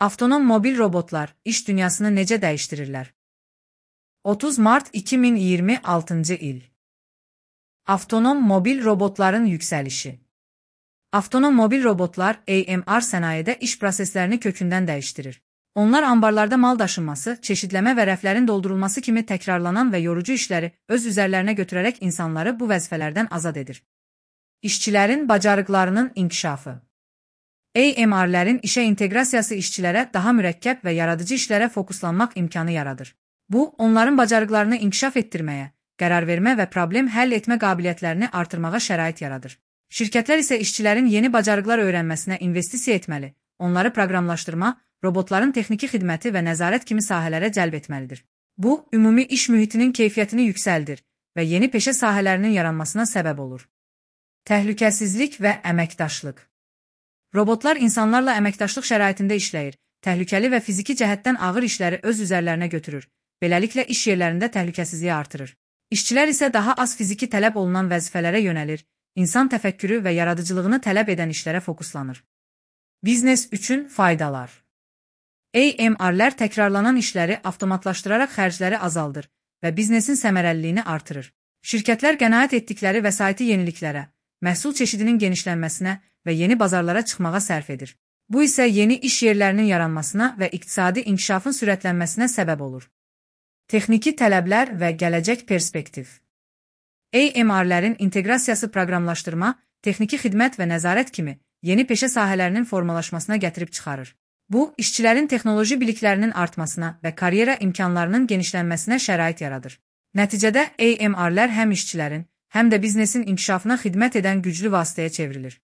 Avtonom mobil robotlar iş dünyasını necə dəyişdirirlər? 30 Mart 2026 il. Avtonom mobil robotların yüksəlişi. Avtonom mobil robotlar AMR sənayedə iş proseslərini kökündən dəyişdirir. Onlar ambarlarda mal daşınması, çeşidləmə və rəflərin doldurulması kimi təkrarlanan və yorucu işləri öz üzərlərinə götürərək insanları bu vəzifələrdən azad edir. İşçilərin bacarıqlarının inkişafı. AMR-lərin işə inteqrasiyası işçilərə daha mürəkkəb və yaradıcı işlərə fokuslanmaq imkanı yaradır. Bu, onların bacarıqlarını inkişaf etdirməyə, qərar vermə və problem həll etmə qabiliyyətlərini artırmağa şərait yaradır. Şirkətlər isə işçilərin yeni bacarıqlar öyrənməsinə investisiya etməli, onları proqramlaşdırma, robotların texniki xidməti və nəzarət kimi sahələrə cəlb etməlidir. Bu, ümumi iş mühitinin keyfiyyətini yüksəldir və yeni peşə sahələrinin yaranmasına səbəb olur. Təhlükəsizlik və əməkdaşlıq. Robotlar insanlarla əməkdaşlıq şəraitində işləyir, təhlükəli və fiziki cəhətdən ağır işləri öz üzərlərinə götürür, beləliklə iş yerlərində təhlükəsizliyi artırır. İşçilər isə daha az fiziki tələb olunan vəzifələrə yönəlir, insan təfəkkürü və yaradıcılığını tələb edən işlərə fokuslanır. Biznes üçün faydalar. AMR-lər təkrarlanan işləri avtomatlaşdıraraq xərcləri azaldır və biznesin səmərəliliyini artırır. Şirkətlər qənaət etdikləri vəsaiti yeniliklərə, məhsul çeşidinin genişlənməsinə və yeni bazarlara çıxmağa sərf edir. Bu isə yeni iş yerlərinin yaranmasına və iqtisadi inkişafın sürətlənməsinə səbəb olur. Texniki tələblər və gələcək perspektiv. AMR-lərin inteqrasiyası proqramlaşdırma, texniki xidmət və nəzarət kimi yeni peşə sahələrinin formalaşmasına gətirib çıxarır. Bu, işçilərin texnoloji biliklərinin artmasına və karyera imkanlarının genişlənməsinə şərait yaradır. Nəticədə AMR-lər həm işçilərin, həm də biznesin inkişafına xidmət edən güclü vasitəyə çevrilir.